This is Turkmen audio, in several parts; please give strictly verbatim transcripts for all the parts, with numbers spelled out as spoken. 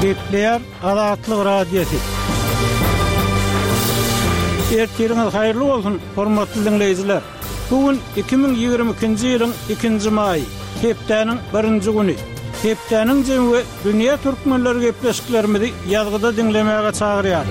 Gepleýär Azatlyk Radiosy. Ertiriňiz haýyrly bolsun, hormatly diňleýjiler! Bu gün iki müň ýigrimi ikinji ýylyň ikinji maýy, hepdäniň birinji güni. Hepdäniň jemi we dünýä türkmenleri gepleşiklerimizi ýazgyda diňlemäge çagyrýar.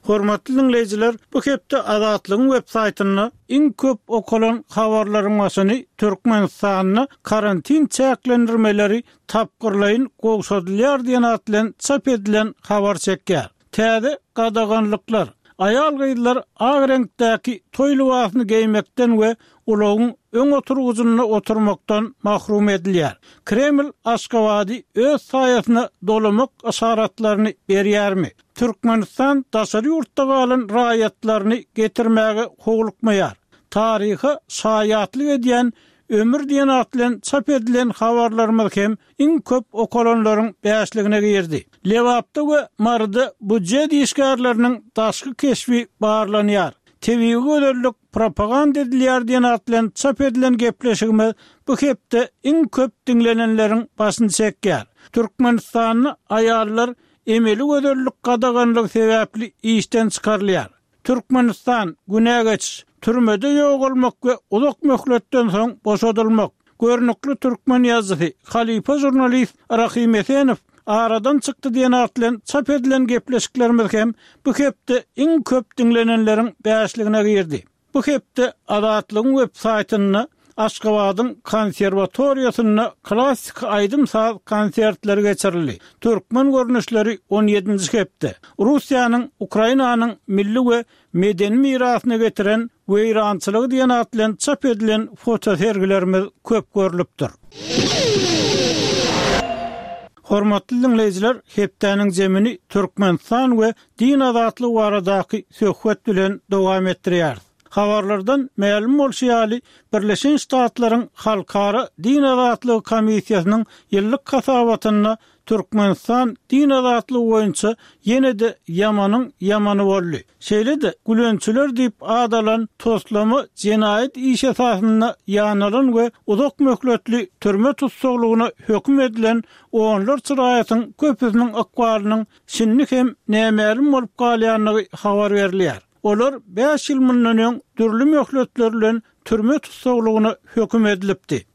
Hormatly diňleýjiler, bu hepde Azatlygyň web saýtynda iň köp okalan habarlaryň başyny Türkmenistanda karantin çäklendirmeleri tapgyrlaýyn gowşadylýar diýen at bilen çap edilen habar çekýär. Täze gadaganlyklar, aýal-gyzlar ak reňkdäki toý lybasyny geýmekden we ulagyň öň oturgyjynda oturmakdan mahrum edilýär. Kreml Aşgabady öz saýasyna dolamak yşaratlaryny berýärmi? Türkmenistan daşary ýurtda galan raýatlaryny getirmäge howlukmaýar. Taryha şaýatlyk edýän Ömür diýen at bilen çap edilen habarlarymyz hem iň köp okalanlaryň bäşligine girdi. Lebapda we Maryda býujet işgärleriniň daşky keşbi barlanýar. Tebigy gözellik propaganda edilýär diýen at bilen çap edilen gepleşigimiz bu hepde iň köp diňlenenleriň başyny çekýär. Türkmenistanda aýallar emeli gözellik gadaganlygy sebäpli işden çykarylýar. Türkmenistan, günä geçiş, türmede ýogalmak we uzak möhletden soň boşadylmak. Görnükli türkmen ýazyjysy, halypa žurnalist Rahym Esenow aradan çykdy diýen at bilen çap edilen gepleşiklerimiz hem bu hepde iň köp diňlenenleriň bäşligine girdi. Bu hepde Azatlygyň web saýtynda Aşgabadyň konserwatoriýasynda klassyky aýdym-saz konsertleri geçirildi. Türkmen görnüşleri on ýedinji hepde Russiýanyň Ukrainanyň milli we medeni mirasyna getiren weýrançylygy diýen at bilen çap edilen fotosergilerimiz köp görlüpdir. Hormatly diňleýjiler, hepdäniň jemini Türkmenistan we din azatlygy baradaky söhbet bilen dowam etdirýäris. Habarlardan mälim bolşy ýaly, Birleşen Ştatlaryň Halkara din azatlygy komissiýasynyň ýyllyk hasabatynda Türkmenistan din azatlygy boýunça ýene-de ýamanyň ýamany boldy. Şeýle-de, gülençiler diýip at alan toslama jenaýat işi esasynda ýanalan we uzak möhletli türme tussaglygyna höküm edilen onlarça raýatyň köpüsiniň ykbalynyň şindi hem nämälim bolup galýandygy habar berilýär. Olar bäş ýyl mundan öň dürli möhletler bilen türme tussaglygyna höküm edilipdi.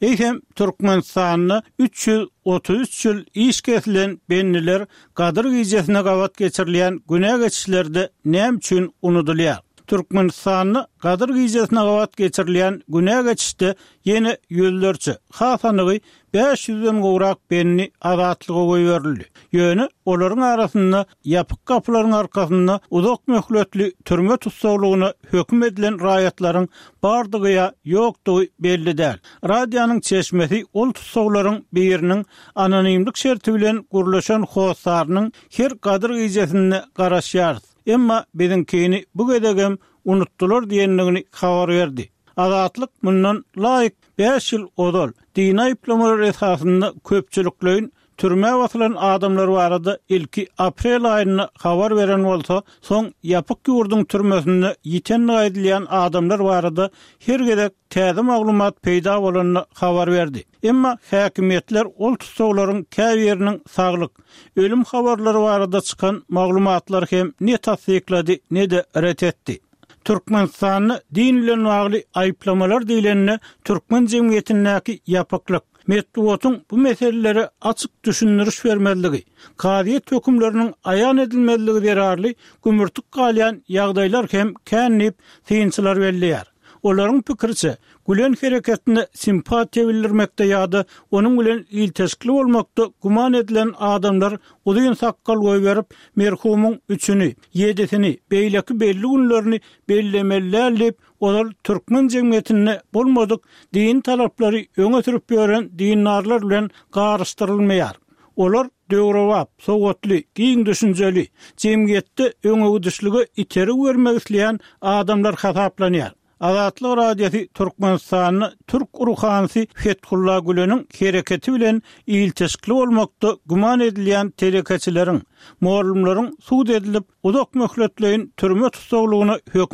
Eýsem, Türkmenistanda üç ýüz otuz üç ýyl iş kesilen bendiler Gadyr gijesine gabat geçirilýän günä geçişlerde näme üçin unudylýar? Türkmenistanda Gadyr gijesine gabat geçirilýän günä geçişde ýene ýüzlerçe, has anygy bäş ýüzden gowrak bendi azatlyga goýberildi. Ýöne olaryň arasynda ýapyk gapylaryň arkasynda uzak möhletli türme tussaglygyna höküm edilen raýatlaryň bardygy ýa ýokdugy belli däl. Radionyň çeşmesi ol tussaglaryň biriniň anonimlik şerti bilen gürleşen hossarynyň her Gadyr gijesinde garaşýarys, emma biziňkini bu gezegem unutdylar diýendigini habar berdi. Azatlyk mundan laýyk bäş ýyl ozal dini aýyplamalar esasynda köpçülikleýin türmä basylan adamlar barada ilki aprel aýynda habar beren bolsa, soň ýapyk ýurduň türmesinde ýitendigi aýdylýan adamlar barada her gezek täze maglumat peýda bolanda habar berdi. Emma häkimiýetler ol tussaglaryň käbiriniň saglyk, ölüm habarlary barada çykan maglumatlary hem ne tassyklady, ne-de ret etdi. Türkmenistanda din bilen bagly aýyplamalar diýlende türkmen jemgyýetindäki ýapyklyk, metbugatyň bu meselelere açyk düşündiriş bermezligi, kazyýet hökümleriniň aýan edilmezligi zerarly gümürtik galýan ýagdaýlar hem kän diýip, synçylar belleýär. Olaryň pikiriçe, Gülen hereketine simpatiýa bildirmekde ýa-da onuň bilen ilteşikli bolmakda güman edilen adamlar uzyn sakgal goýberip, merhumyň üçüni, ýedisini, beýleki belli günlerini bellemeli däl diýip, ozal türkmen jemgyýetinde bolmadyk dini talaplary öňe sürüp ýören dindarlar bilen garyşdyrylmaýar. Olar döwrebap, sowatly, giň düşünjeli, jemgyýetde öňegidişlige itergi bermek isleýän adamlar hasaplanýar. Azatlyk Radiosy Türkmenistanda türk ruhanysy Fethulla Güleniň hereketi bilen ilteşikli bolmakda güman edilýän telekeçileriň, mugallymlaryň sud edilip, uzak möhletleýin türme tussaglygyna höküm